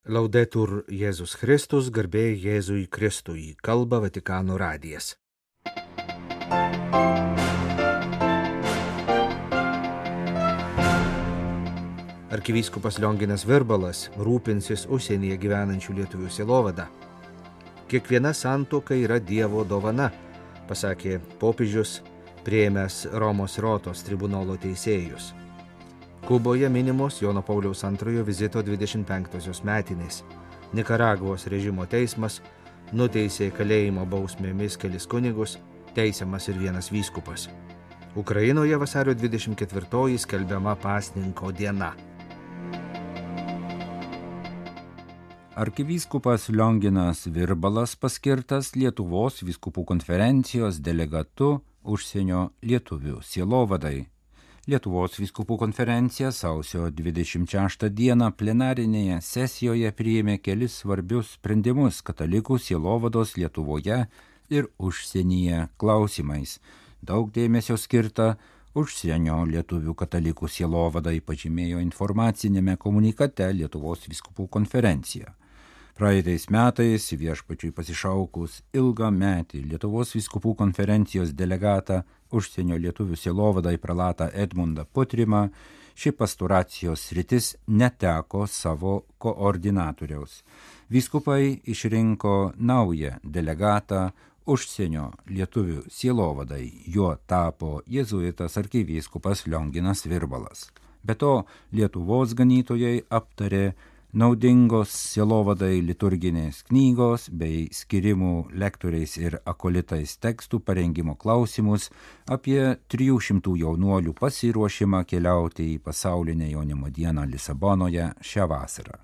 Laudetur Jėzus Kristus, garbė Jėzui Kristui, kalba Vatikano radijas. Arkivyskupas Lionginas Virbalas rūpinsis užsienyje gyvenančių lietuvių sielovada. Kiekviena santuoka yra Dievo dovana, pasakė popiežius, priėmęs Romos Rotos tribunolo teisėjus. Kuboje minimos Jono Pauliaus II vizito 25-osios metinės. Nikaragvos režimo teismas nuteisė kalėjimo bausmėmis kelis kunigus, teisiamas ir vienas vyskupas. Ukrainoje vasario 24-oji skelbiama pasninko diena. Arkivyskupas Lionginas Virbalas paskirtas Lietuvos vyskupų konferencijos delegatu užsienio lietuvių sielovadai. Lietuvos vyskupų konferencija sausio 26 dieną plenarinėje sesijoje priėmė kelis svarbius sprendimus katalikų sielovados Lietuvoje ir užsienyje klausimais. Daug dėmesio skirta užsienio lietuvių katalikų sielovadai, pažymėjo informacinėme komunikate Lietuvos vyskupų konferencija. Praeitais metais viešpačiui pasišaukus ilgametį Lietuvos vyskupų konferencijos delegatą užsienio lietuvių sielovadai prelatą Edmundą Putrimą, ši pastoracijos sritis neteko savo koordinatoriaus. Vyskupai išrinko naują delegatą užsienio lietuvių sielovadai, juo tapo jėzuitas arkivyskupas Lionginas Virbalas. Be to, Lietuvos ganytojai aptarė naudingos sielovadai liturginės knygos bei skirimų lektoriais ir akolitais tekstų parengimo klausimus apie 300 jaunuolių pasiruošimą keliauti į pasaulinę jaunimo dieną Lisabonoje šią vasarą.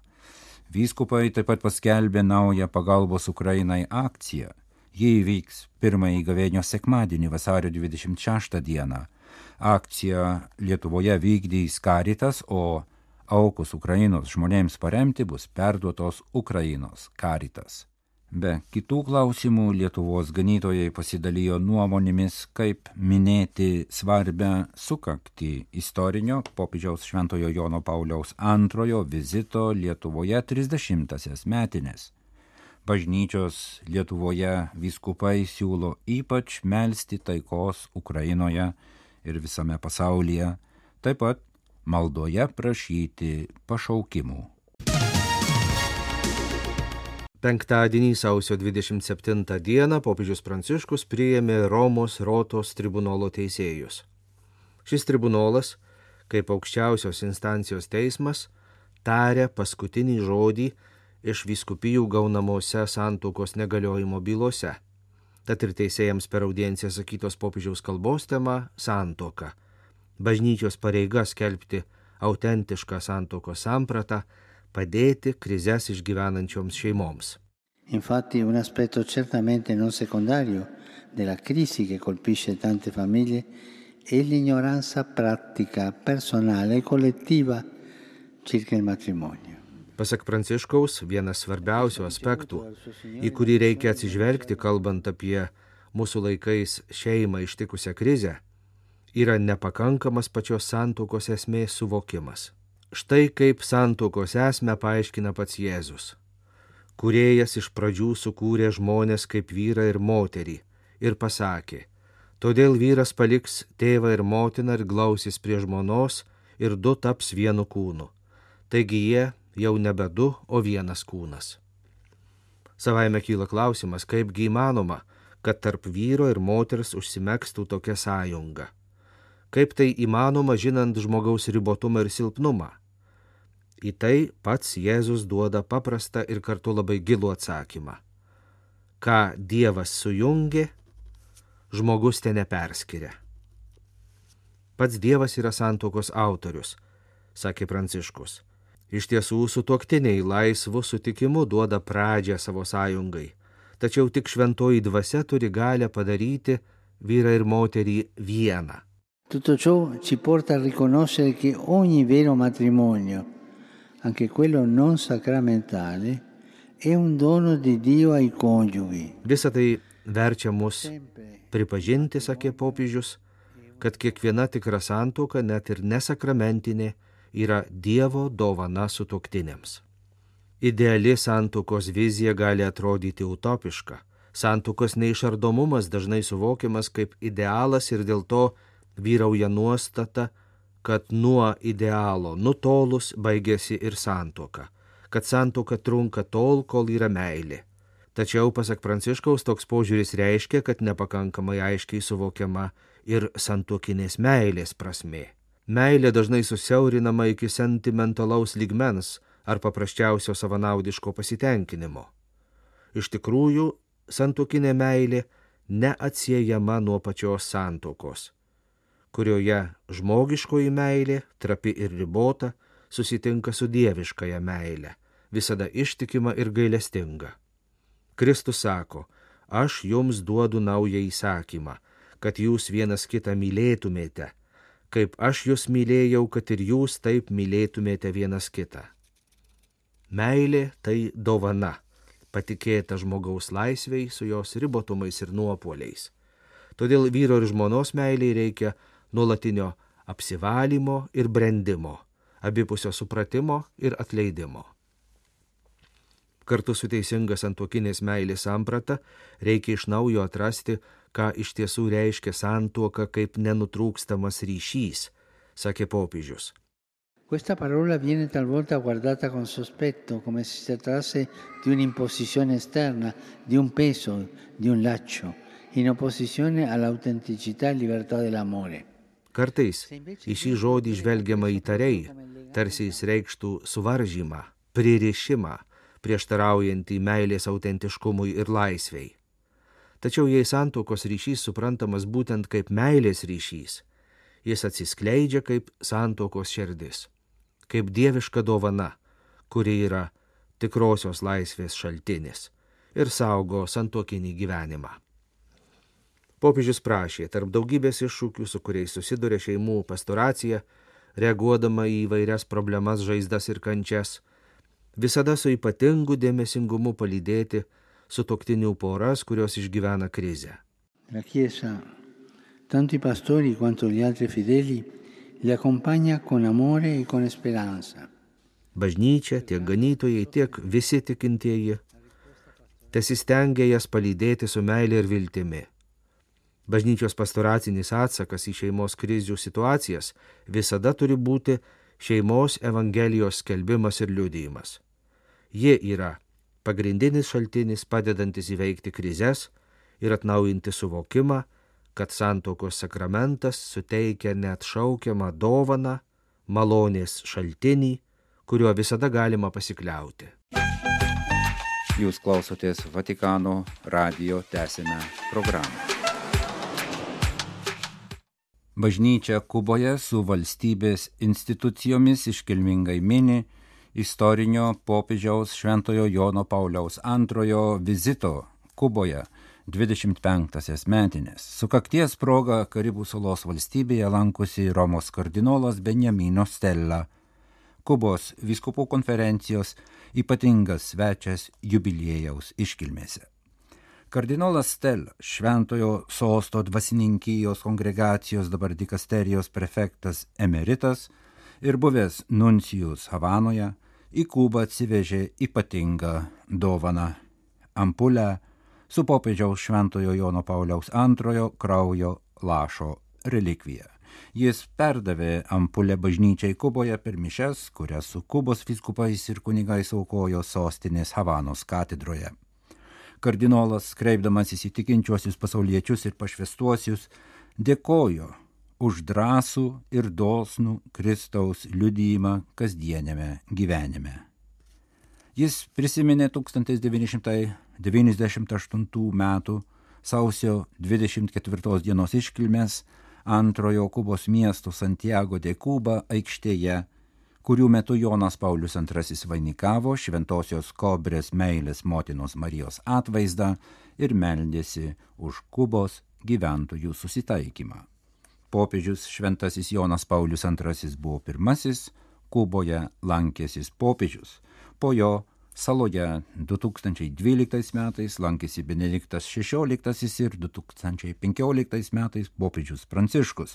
Vyskupai taip pat paskelbė naują pagalbos Ukrainai akciją. Ji įvyks pirmąjį gavėnios sekmadienį vasario 26 dieną. Akciją Lietuvoje vykdys Caritas, o aukos Ukrainos žmonėms paremti bus perduotos Ukrainos Caritas. Be kitų klausimų Lietuvos ganytojai pasidalijo nuomonėmis, kaip minėti svarbią sukaktį istorinio popiežiaus Šventojo Jono Pauliaus II vizito Lietuvoje 30-asias metinės. Bažnyčios Lietuvoje vyskupai siūlo ypač melsti taikos Ukrainoje ir visame pasaulyje, taip pat maldoje prašyti pašaukimų. Penktadienį sausio 27 dieną popiežius Pranciškus priėmė Romos Rotos tribunolo teisėjus. Šis tribunolas, kaip aukščiausios instancijos teismas, tarė paskutinį žodį iš vyskupijų gaunamose santuokos negaliojimo bylose. Tad ir teisėjams per audienciją sakytos popiežiaus kalbos tema santuoka. Bažnyčios pareiga skelbti autentišką santuokos sampratą, padėti krizes išgyvenančioms šeimoms. Infatti un aspetto certamente non secondario della crisi che colpisce tante famiglie è l'ignoranza pratica, personale e collettiva circa il matrimonio. Pasak Pranciškaus, vienas svarbiausių aspektų, į kurį reikia atsižvelgti, kalbant apie mūsų laikais šeimą ištikusią krizę, yra nepakankamas pačios santuokos esmės suvokimas. Štai kaip santuokos esmę paaiškina pats Jėzus. Kūrėjas iš pradžių sukūrė žmonės kaip vyrą ir moterį ir pasakė, todėl vyras paliks tėvą ir motiną ir glausis prie žmonos ir du taps vienu kūnu. Taigi jie jau nebe du, o vienas kūnas. Savaime kyla klausimas, kaipgi įmanoma, kad tarp vyro ir moters užsimegstų tokia sąjunga. Kaip tai įmanoma, žinant žmogaus ribotumą ir silpnumą? Į tai pats Jėzus duoda paprastą ir kartu labai gilų atsakymą. Ką Dievas sujungė, žmogus te neperskiria. Pats Dievas yra santuokos autorius, sakė Pranciškus. Iš tiesų, sutuoktiniai laisvu sutikimu duoda pradžią savo sąjungai, tačiau tik šventoji dvasia turi galią padaryti vyrą ir moterį vieną. Tutto ciò ci porta a riconoscere che ogni vero matrimonio, anche quello non sacramentale, è un dono di Dio ai coniughi. Visą tai verčia mus pripažinti, sakė popiežius, kad kiekviena tikra santuoka, net ir nesakramentinė, yra Dievo dovana sutuoktiniams. Ideali santuokos vizija gali atrodyti utopiška. Santuokos neišardomumas dažnai suvokiamas kaip idealas ir dėl to vyrauja nuostata, kad nuo idealo nutolus baigėsi ir santuoka, kad santuoka trunka tol, kol yra meilė. Tačiau, pasak Pranciškaus, toks požiūris reiškia, kad nepakankamai aiškiai suvokiama ir santuokinės meilės prasmė. Meilė dažnai susiaurinama iki sentimentalaus lygmens ar paprasčiausio savanaudiško pasitenkinimo. Iš tikrųjų, santuokinė meilė neatsiejama nuo pačios santuokos, kurioje žmogiškoji meilė, trapi ir ribota, susitinka su dieviškąja meilė, visada ištikima ir gailestinga. Kristus sako, aš jums duodu naują įsakymą, kad jūs vienas kitą mylėtumėte, kaip aš jūs mylėjau, kad ir jūs taip mylėtumėte vienas kitą. Meilė tai dovana, patikėta žmogaus laisvei su jos ribotumais ir nuopuoliais. Todėl vyro ir žmonos meiliai reikia nuolatinio apsivalymo ir brendimo, abipusio supratimo ir atleidimo. Kartu su teisinga santuokinės meilės samprata reikia iš naujo atrasti, ką iš tiesų reiškia santuoka kaip nenutrūkstamas ryšys, sakė popiežius. Questa parola viene talvolta guardata con sospetto, come se si trattasse di un'imposizione esterna, di un peso, di un laccio, in opposizione all'autenticità e libertà dell'amore. Kartais į šį žodį žvelgiama įtariai, tarsi jis reikštų suvaržymą, pririšimą, prieštaraujantį meilės autentiškumui ir laisvei. Tačiau jei santuokos ryšys suprantamas būtent kaip meilės ryšys, jis atsiskleidžia kaip santuokos širdis, kaip dieviška dovana, kuri yra tikrosios laisvės šaltinis ir saugo santuokinį gyvenimą. Popiežius prašė, tarp daugybės iššūkių, su kuriais susiduria šeimų pastoracija, reaguodama į įvairias problemas, žaizdas ir kančias, visada su ypatingu dėmesingumu palydėti sutuoktinių poras, kurios išgyvena krizę. La Chiesa, tanto i pastori quanto gli altri fedeli, li accompagna con amore e con speranza. Bažnyčia, tiek ganytojai, tiek visi tikintieji tesistengia jas palydėti su meilė ir viltimi. Bažnyčios pastoracinis atsakas į šeimos krizių situacijas visada turi būti šeimos evangelijos skelbimas ir liudijimas. Jie yra pagrindinis šaltinis padedantis įveikti krizes ir atnaujinti suvokimą, kad santuokos sakramentas suteikia neatšaukiamą dovaną, malonės šaltinį, kuriuo visada galima pasikliauti. Jūs klausotės Vatikano radijo tęsinę programą. Bažnyčia Kuboje su valstybės institucijomis iškilmingai mini istorinio popiežiaus Šventojo Jono Pauliaus II vizito Kuboje 25-asias metinės. Sukakties proga Karibų salos valstybėje lankosi Romos kardinolas Beniamino Stella, Kubos vyskupų konferencijos ypatingas svečias jubiliejaus iškilmėse. Kardinolas Stella, Šventojo sosto dvasininkijos kongregacijos dabar dikasterijos prefektas emeritas ir buvęs nuncijus Havanoje, į Kubą atsivežė ypatingą dovaną – ampulę su popiežiaus Šventojo Jono Pauliaus II kraujo lašo relikvija. Jis perdavė ampulę bažnyčiai Kuboje per mišias, kurias su Kubos vyskupais ir kunigais aukojo sostinės Havanos katedroje. Kardinolas, kreipdamasis į tikinčiuosius pasauliečius ir pašvęstuosius, dėkojo už drąsų ir dosnų Kristaus liudijimą kasdieniame gyvenime. Jis prisiminė 1998 metų sausio 24 dienos iškilmes antrojo Kubos miesto Santiago de Cuba aikštėje, kurių metu Jonas Paulius II vainikavo šventosios Kobrės meilės motinos Marijos atvaizdą ir meldėsi už Kubos gyventojų susitaikymą. Popiežius šventasis Jonas Paulius II buvo pirmasis Kuboje lankęsis popiežius, po jo Saloje 2012 metais lankėsi Benediktas XVI ir 2015 metais popiežius Pranciškus,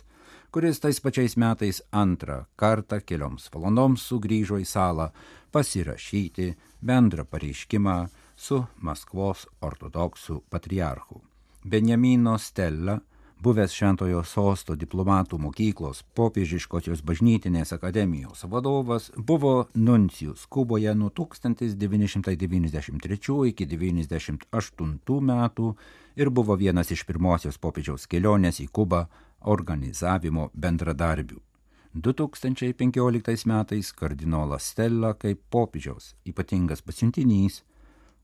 kuris tais pačiais metais antrą kartą kelioms valandoms sugrįžo į salą pasirašyti bendrą pareiškimą su Maskvos ortodoksų patriarchu. Benjamino Stella, buvęs Šventojo Sosto diplomatų mokyklos popiežiškosios bažnytinės akademijos vadovas, buvo nuncijus Kuboje nuo 1993 iki 1998 metų ir buvo vienas iš pirmosios popiežiaus kelionės į Kubą organizavimo bendradarbių. 2015 metais kardinolas Stella kaip popiežiaus ypatingas pasiuntinys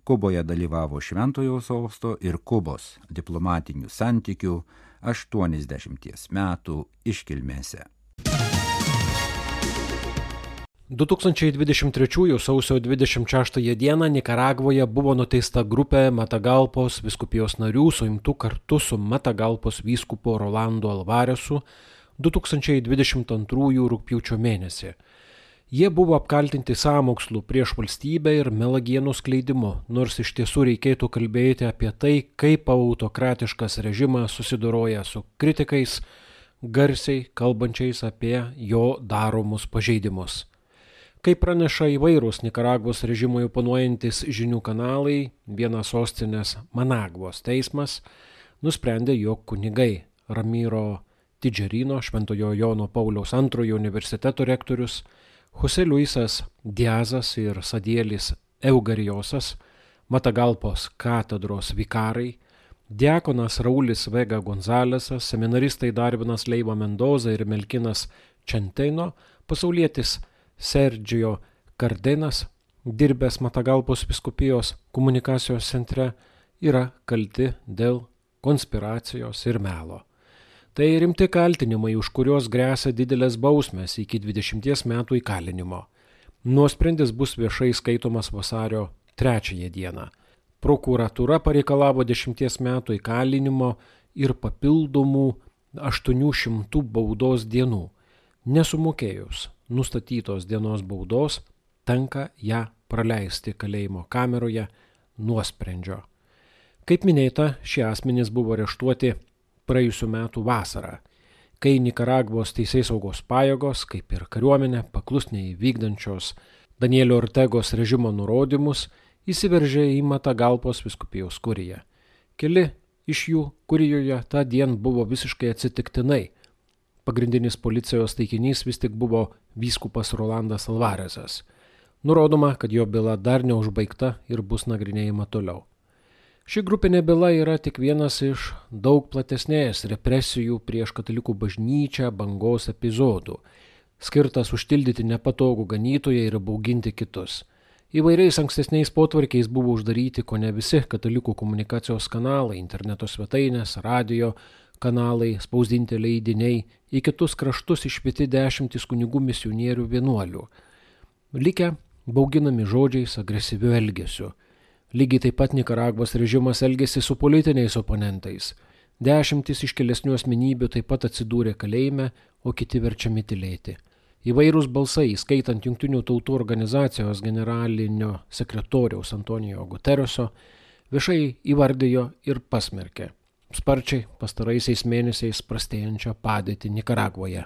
Kuboje dalyvavo Šventojo Sosto ir Kubos diplomatinių santykių 80 metų iškilmėse. 2023 sausio 26 dieną Nikaragvoje buvo nuteista grupė Matagalpos vyskupijos narių suimtų kartu su Matagalpos vyskupu Rolando Alvaresu 2022 rugpjūčio mėnesį. Jie buvo apkaltinti sąmokslų prieš valstybę ir melagienų skleidimu, nors iš tiesų reikėtų kalbėti apie tai, kaip autokratiškas režimas susidoroja su kritikais, garsiai kalbančiais apie jo daromus pažeidimus. Kaip praneša įvairūs Nikaragvos režimui oponuojantis žinių kanalai, vienas sostinės Managvos teismas nusprendė, jog kunigai Ramiro Tidžerino, Šventojo Jono Pauliaus II universiteto rektorius, Jose Luisas Diazas ir Sadielis Eugarijosas, Matagalpos katedros vikarai, diakonas Raulis Vega Gonzalesas, seminaristai Darvinas Leiva Mendoza ir Melkinas Čenteino, pasaulietis Sergio Cardenas, dirbęs Matagalpos vyskupijos komunikacijos centre, yra kalti dėl konspiracijos ir melo. Tai rimti kaltinimai, už kurios gresia didelės bausmės iki 20 metų įkalinimo. Nuosprendis bus viešai skaitomas vasario 3 dieną. Prokuratūra pareikalavo 10 metų įkalinimo ir papildomų 800 baudos dienų. Nesumokėjus nustatytos dienos baudos, tenka ją praleisti kalėjimo kameroje nuosprendžio. Kaip minėta, šie asmenys buvo areštuoti praėjusių metų vasarą, kai Nikaragvos teisėsaugos pajėgos, kaip ir kariuomenė, paklusniai vykdančios Danielio Ortegos režimo nurodymus, įsiveržė į Matagalpos vyskupijos kuriją. Keli iš jų kurijoje tą dieną buvo visiškai atsitiktinai. Pagrindinis policijos taikinys vis tik buvo vyskupas Rolandas Alvaresas. Nurodoma, kad jo byla dar neužbaigta ir bus nagrinėjama toliau. Ši grupinė byla yra tik vienas iš daug platesnės represijų prieš katalikų bažnyčią bangos epizodų, skirtas užtildyti nepatogų ganytoją ir bauginti kitus. Įvairiais ankstesniais potvarkiais buvo uždaryti kone visi katalikų komunikacijos kanalai, interneto svetainės, radio kanalai, spausdinti leidiniai, į kitus kraštus išvyti 10 kunigų misionierių vienuolių. Likę bauginami žodžiais, agresyviu elgesiu. Lygiai taip pat Nikaragvos režimas elgėsi su politiniais oponentais. 10 iškilesnių asmenybių taip pat atsidūrė kalėjime, o kiti verčiami tylėti. Įvairūs balsai, skaitant Jungtinių tautų organizacijos generalinio sekretoriaus Antonijo Gutereso, viešai įvardijo ir pasmerkė sparčiai pastaraisiais mėnesiais prastėjančią padėtį Nikaragvoje.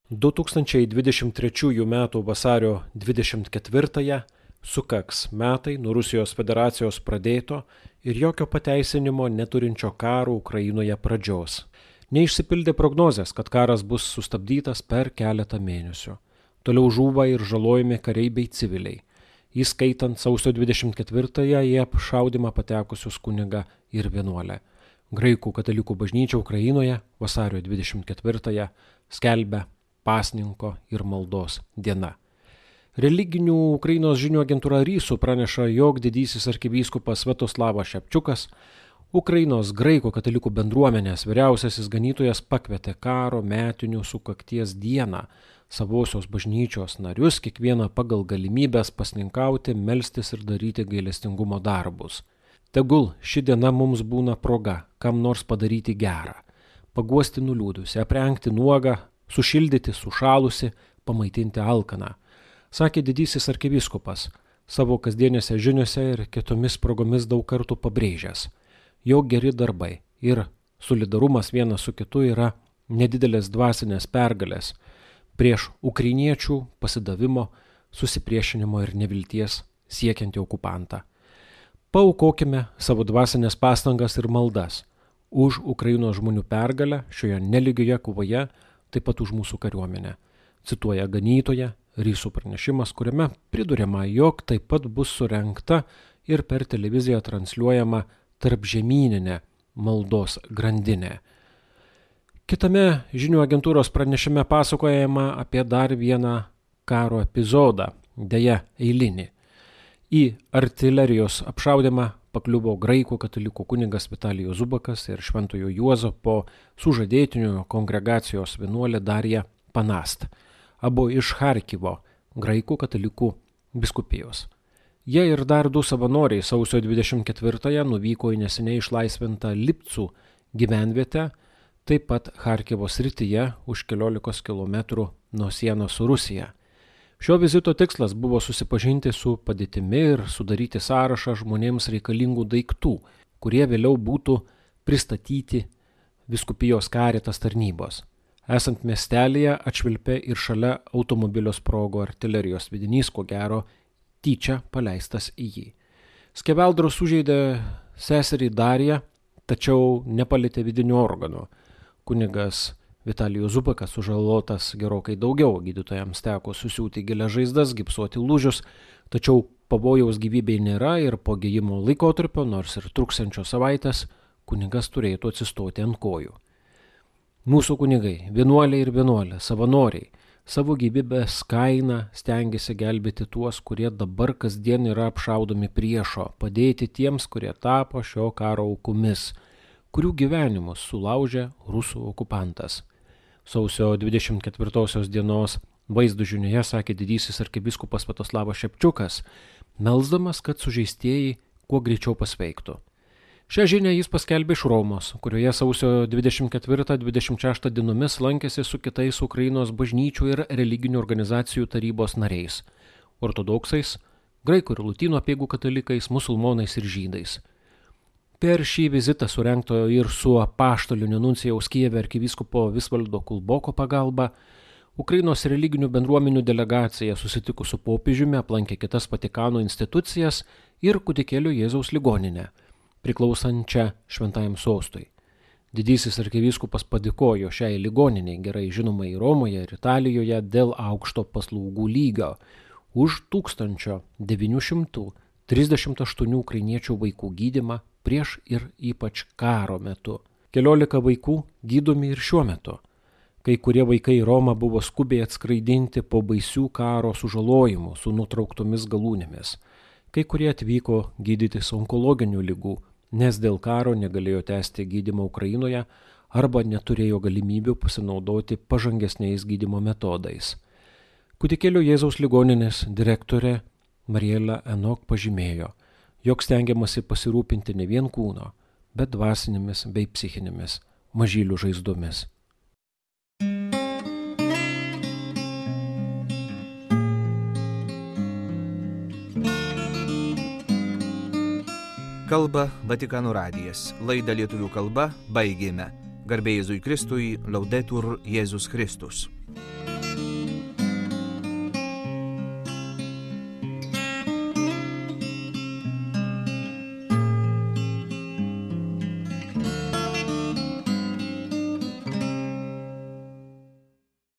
2023 m. vasario 24 sukaks metai nuo Rusijos federacijos pradėto ir jokio pateisinimo neturinčio karo Ukrainoje pradžios. Neišsipildė prognozės, kad karas bus sustabdytas per keletą mėnesių. Toliau žūva ir žalojami kariai bei civiliai, įskaitant sausio 24-ąją į apšaudymą patekusius kunigą ir vienuolę. Graikų katalikų bažnyčia Ukrainoje vasario 24-ąją skelbia pasninko ir maldos diena. Religinių Ukrainos žinių agentūra RISU praneša, jog didysis arkivyskupas Sviatoslavas Šepčiukas, Ukrainos graikų katalikų bendruomenės vyriausiasis ganytojas, pakvietė karo metinių sukakties dieną savosios bažnyčios narius kiekvieną pagal galimybės pasninkauti, melstis ir daryti gailestingumo darbus. Tegul ši diena mums būna proga, kam nors padaryti gerą, paguosti nuliūdusi, aprengti nuogą, sušildyti sušalusi, pamaitinti alkaną, Sakė didysis arkivyskupas, savo kasdienėse žiniose ir kitomis progomis daug kartų pabrėžęs, jog geri darbai ir solidarumas vienas su kitu yra nedidelės dvasinės pergalės prieš ukrainiečių pasidavimo, susipriešinimo ir nevilties siekiantį okupantą. Paaukokime savo dvasinės pastangas ir maldas už Ukrainos žmonių pergalę šioje nelygioje kovoje, taip pat už mūsų kariuomenę. Cituoja ganytoja Rysų pranešimas, kuriame priduriama, jog taip pat bus surengta ir per televiziją transliuojama tarpžemyninė maldos grandinė. Kitame žinių agentūros pranešime pasakojama apie dar vieną karo epizodą, deja eilinį. Į artilerijos apšaudymą pakliuvo graikų katalikų kunigas Vitalijus Zubakas ir Šventojo Juozapo sužadėtinių kongregacijos vienuolė Darija Panast, abu iš Charkivo, graikų katalikų vyskupijos. Jie ir dar 2 savanoriai sausio 24-ąją nuvyko į neseniai išlaisvintą Lipcų gyvenvietę, taip pat Charkivo srityje už 14 kilometrų nuo sienos su Rusija. Šio vizito tikslas buvo susipažinti su padėtimi ir sudaryti sąrašą žmonėms reikalingų daiktų, kurie vėliau būtų pristatyti vyskupijos Caritas tarnybos. Esant miestelėje atšvilpė ir šalia automobilio sprogo artilerijos sviedinys, ko gero tyčia paleistas į jį. Skeveldros sužeidė seserį Dariją, tačiau nepalietė vidinių organų. Kunigas Vitalijus Zubakas sužalotas gerokai daugiau, gydytojams teko susiūti gilias žaizdas, gipsuoti lūžius, tačiau pavojaus gyvybei nėra ir po gijimo laikotarpio, nors ir truksiančios savaitės, kunigas turėtų atsistoti ant kojų. Mūsų kunigai, vienuoliai ir vienuolė, savanoriai, savo gyvybės kaina stengiasi gelbėti tuos, kurie dabar kasdien yra apšaudomi priešo, padėti tiems, kurie tapo šio karo aukomis, kurių gyvenimus sulaužė rusų okupantas. Sausio 24 dienos vaizdų žinioje sakė didysis arkivyskupas Sviatoslavas Šepčiukas, melsdamas, kad sužeistieji kuo greičiau pasveiktų. Šią žinią jis paskelbė iš Romos, kurioje sausio 24-26 dienomis lankėsi su kitais Ukrainos bažnyčių ir religinių organizacijų tarybos nariais – ortodoksais, graikų ir lotynų apeigų katalikais, musulmonais ir žydais. Per šį vizitą surengto ir su apaštaliniu nuncijaus Kijeve arkivyskupo Visvaldo Kulboko pagalba, Ukrainos religinių bendruomenių delegacija susitikus su popiežiumi aplankė kitas Vatikano institucijas ir Kūdikėlio Jėzaus ligoninę, priklausančią Šventajam sostui. Didysis arkivyskupas padėkojo šiai ligoniniai, gerai žinomai Romoje ir Italijoje, dėl aukšto paslaugų lygio už 1938 ukrainiečių vaikų gydymą prieš ir ypač karo metu. 14 vaikų gydomi ir šiuo metu. Kai kurie vaikai į Romą buvo skubiai atskraidinti po baisių karo sužalojimų su nutrauktomis galūnėmis. Kai kurie atvyko gydytis onkologinių ligų, nes dėl karo negalėjo tęsti gydymo Ukrainoje arba neturėjo galimybių pasinaudoti pažangesniais gydymo metodais. Kūdikėlio Jėzaus ligoninės direktorė Mariela Enok pažymėjo, jog stengiamasi pasirūpinti ne vien kūno, bet dvasinėmis bei psichinėmis mažylių žaizdomis. Kalba Vatikano radijas. Laidą lietuvių kalba baigėme. Garbė Jėzui Kristui, Laudetur Jėzus Kristus.